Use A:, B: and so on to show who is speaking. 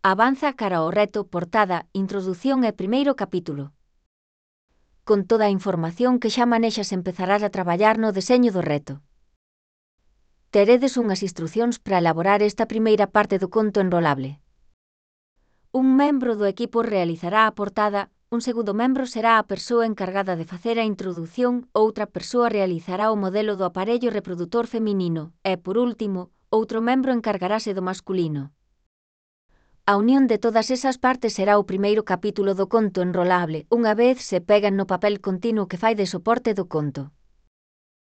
A: Avanza cara ao reto, portada, introdución e primeiro capítulo. Con toda a información que xa manexas empezarás a traballar no deseño do reto. Teredes unhas instrucións para elaborar esta primeira parte do conto enrolable. Un membro do equipo realizará a portada, un segundo membro será a persoa encargada de facer a introdución, outra persoa realizará o modelo do aparello reprodutor feminino e, por último, outro membro encargarase do masculino. A unión de todas esas partes será o primeiro capítulo do conto enrolable, unha vez se pegan no papel continuo que fai de soporte do conto.